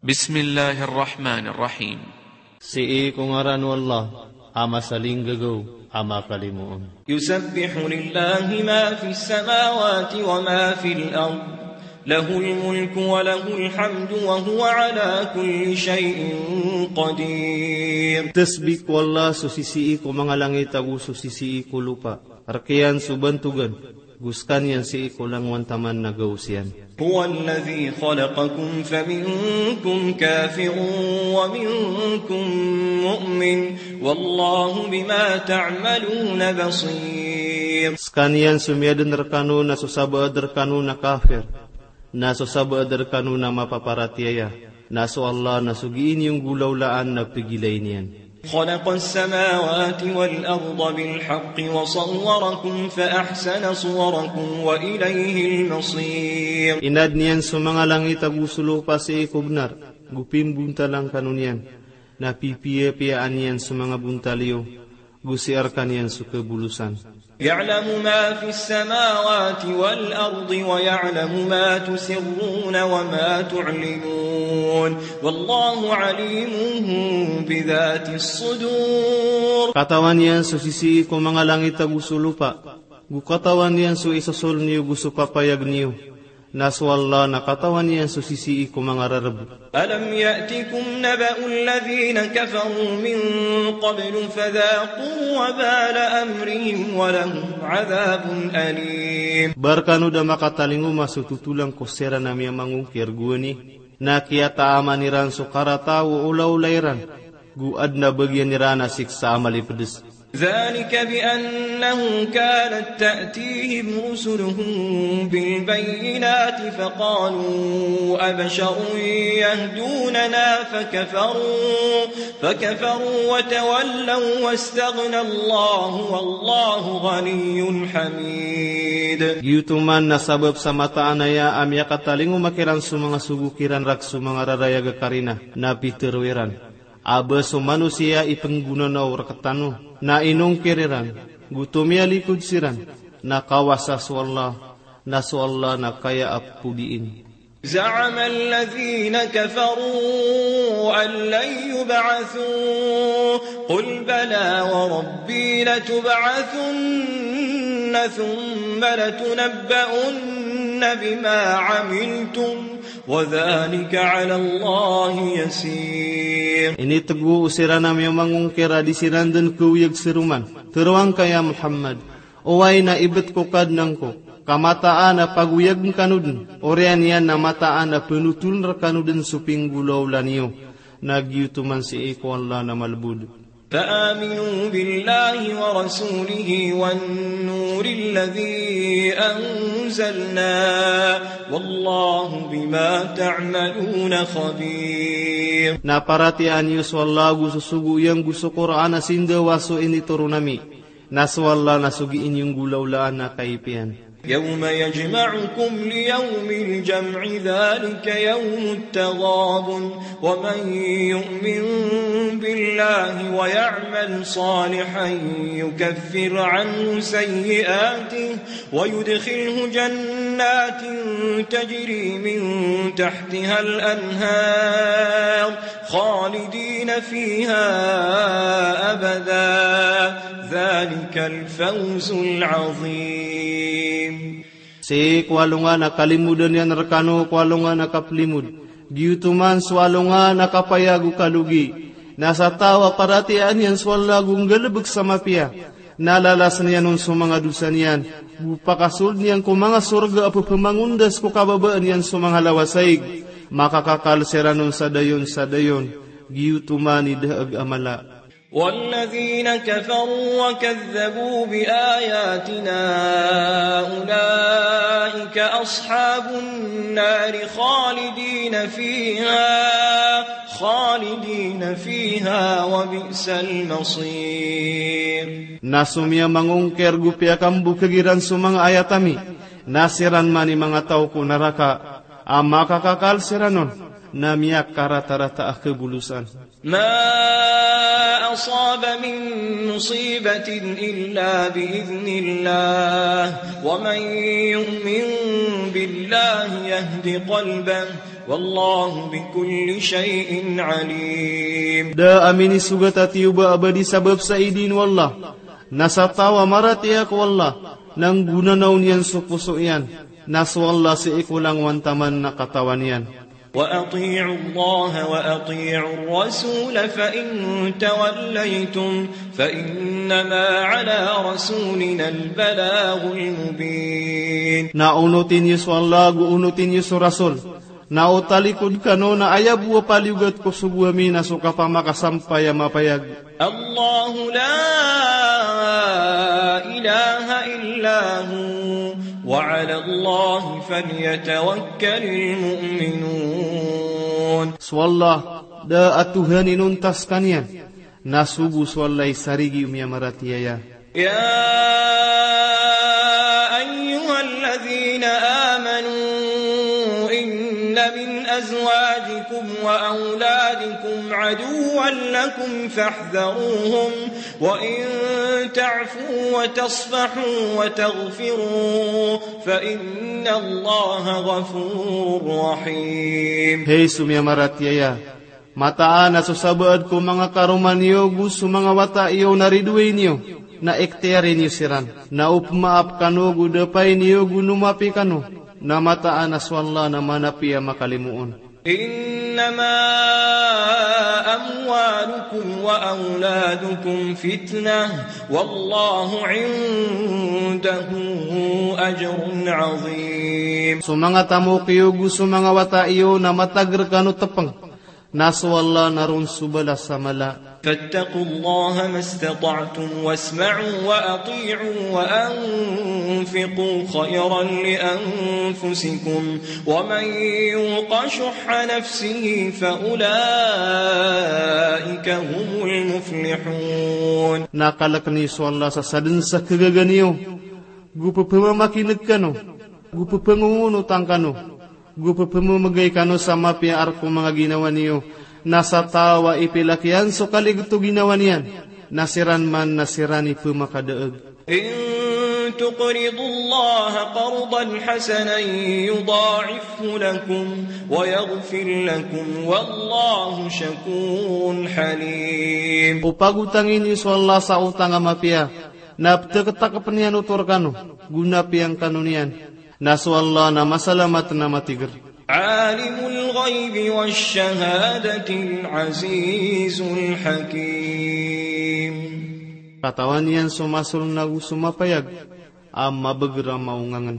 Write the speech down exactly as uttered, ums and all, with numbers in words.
Bismillahir Rahmanir Rahim. Sii ko ngaran o Allah a masalinggagaw a makalimoon. يسبح لله ما في السماوات وما في الأرض له الملك وله الحمد وهو على كل شيء قدير. Tasbih ko Allah so sisii ko manga langit ago so sisii ko lopa. Rk iyan so bantogan, go skaniyan sii ko langowan taman na gaos iyan. هو الذي خلقكم فمنكم كافر ومنكم مؤمن والله بما تعملون بصير. Skaniyan so miyaden rkano na so sabaad rkano na kafir, na so sabaad rkano na mapaparatiyaya, na so Allah na so gii niyo nggolawlaan na pegilay niyan. خلق السماوات والأرض بالحق وصوركم فأحسن صوركم وإليه المصير. Inadn iyan so manga langit ago so lopa sii ko bnar, go pimbontalan kano niyan, na pipiyapiyaan iyan so manga bontal iyo, go sii rkaniyan so kabolosan. يعلم ما في السماوات والأرض ويعلم ما تسرون وما تعلنون والله عليم بذات الصدور. Katawan iyan so sisii ko manga langit ago so lopa, go katawan iyan so isosoln iyo go so papayag niyo. Na so Allah na katawan iyan so sisii ko manga rarb. ألم يأتكم نبأ الذين كفروا من قبل فذاقوا وبال أمرهم ولهم عذاب أليم. Ba rkano da makatalingoma so totolan ko siran a miyamangongkir gowani, na kiyataaman iran so karata o olaola iran, go adn a bagian iran a siksa a malipds. ذلك بأنه كانت تأتيهم رسلهم بالبينات فقالوا أبشر يهدوننا فكفروا، فكفروا وتولوا واستغنى الله والله غني حميد. Giyoto man na sabap sa mataan aya a miyakatalingoma kiran so manga sogo kiran rk so manga rarayag a karina, na pitharo iran a ba so manosiya i pnggonanaw rktano, na inongkir iran, go tomiyalikod siran, na kawasa so Allah, na so Allah na kaya a podiin. زعم الذين كفروا أن لن يبعثوا، قل بلى وربي لتبعثن ثم لتنبؤن بما عملتم وذلك على الله يسير. Initgo o siran a miyamangongkir a di siran dn kaoyag saroman. Tharoang ka ya Muhammad, oway na ibt ko Kadnan ko, ka mataan a pagoyagn kano dn, oriyan iyan na mataan a pnotoln rkano dn so pinggolawla niyo, na giyoto man sii ko Allah na malbod. فآمنوا بالله ورسوله والنور الذي أنزلنا والله بما تعملون خبير. Na paratiyayaan iyo so Allah go so sogo iyan go so Qur'an a sindawa so initoron ami, na so Allah na so gii niyo nggolawlaan a kaipiyan. يوم يجمعكم ليوم الجمع ذلك يوم التغابن ومن يؤمن بالله ويعمل صالحا يكفر عنه سيئاته ويدخله جنات تجري من تحتها الأنهار خالدين فيها أبدا ذلك الفوز العظيم. Sii ko alongan a kalimodan iyan rkano ko alongan a kaplimod, giyoto man so alongan a kapaya go kalogi. Na sa taw a paratiyayaan iyan so Allah go nggalbk sa mapiya, na lalasn iyan on so manga dosa niyan, go pakasold iyan ko manga sorga a pphamangondas ko kababaan iyan so manga lawasaig. Makakakal siran on sa dayon sa dayon, giyoto man i daag a mala. والذين كفروا وكذبوا بآياتنا أولئك أصحاب النار خالدين فيها خالدين فيها وبئس المصير. Na so miyamangongkir go piyakambokg iran so manga ayat ami, na siran man i manga taw ko naraka, a makakakal siran on, na miyakaratarata a kabolosan. ما أصاب من مصيبة إلا بإذن الله ومن يؤمن بالله يهد قلبه والله بكل شيء عليم. Da a minisogat a tiyoba a ba di sabap sa idin o Allah, na sa taw a maratiyaya ko Allah, na nggonanaw niyan so poso iyan, na so Allah sii ko langowan taman na katawan iyan. وأطيعوا الله وأطيعوا الرسول فإن توليتم فإنما على رسولنا البلاغ المبين. Na onoti niyo so Allah, go onoti niyo so Rasul. Na o talikod kano na aya bo a paliyogat ko sogo ami na so kapamakasampay a mapayag. الله لا إله إلا هو وعلى الله فليتوكل المؤمنون. So Allah, da a Tohan inonta skaniyan, na so bo so Allah i sarigi o miyamaratiyaya. يا أيها الذين آمنوا إن من أزواجكم وأولادكم عدوا لكم فاحذروهم وإن تعفوا وتصفحوا وتغفروا فإن الله غفور رحيم. Hay so miyamaratiyaya, mataan a so sabaad ko manga karoma niyo go so manga wata iyo na ridoay niyo, na ikhtiyari niyo siran. Na o pmaap kano go dapay niyo go nomapi kano, na mataan a so Allah na manapi a makalimoon. إنما أموالكم وأولادكم فتنة والله عنده أجر عظيم. So manga tamok iyo go so manga wata iyo na matager kano tepeng, na so Allah na ron so balas a mala. فاتقوا الله ما استطعتم واسمعوا وأطيعوا وأنفقوا خيرا لأنفسكم ومن يوق شح نفسه فأولئك هم المفلحون. Na kalek niyo so Allah sa sadn sa kagaga niyo, go pphamakineg kano, go ppangongonotan kano, go pphamamegay kano sa mapiya a rk o manga ginawa niyo, na sa taw a ipilak iyan so kaligto o ginawa niyan, na siran man na siran i pmakadaeg. إن تقرضوا الله قرضا حسنا يضاعفه لكم ويغفر لكم والله شكور حليم. O pagotangi niyo so Allah sa otang a mapiya, na ptektakpn iyan oto rkano, go na piyangkano niyan. Na so Allah na masalamat na matiger. عالم الغيب والشهادة العزيز الحكيم. Katawan iyan so masoln ago so mapayag, a mabeger a maongangen.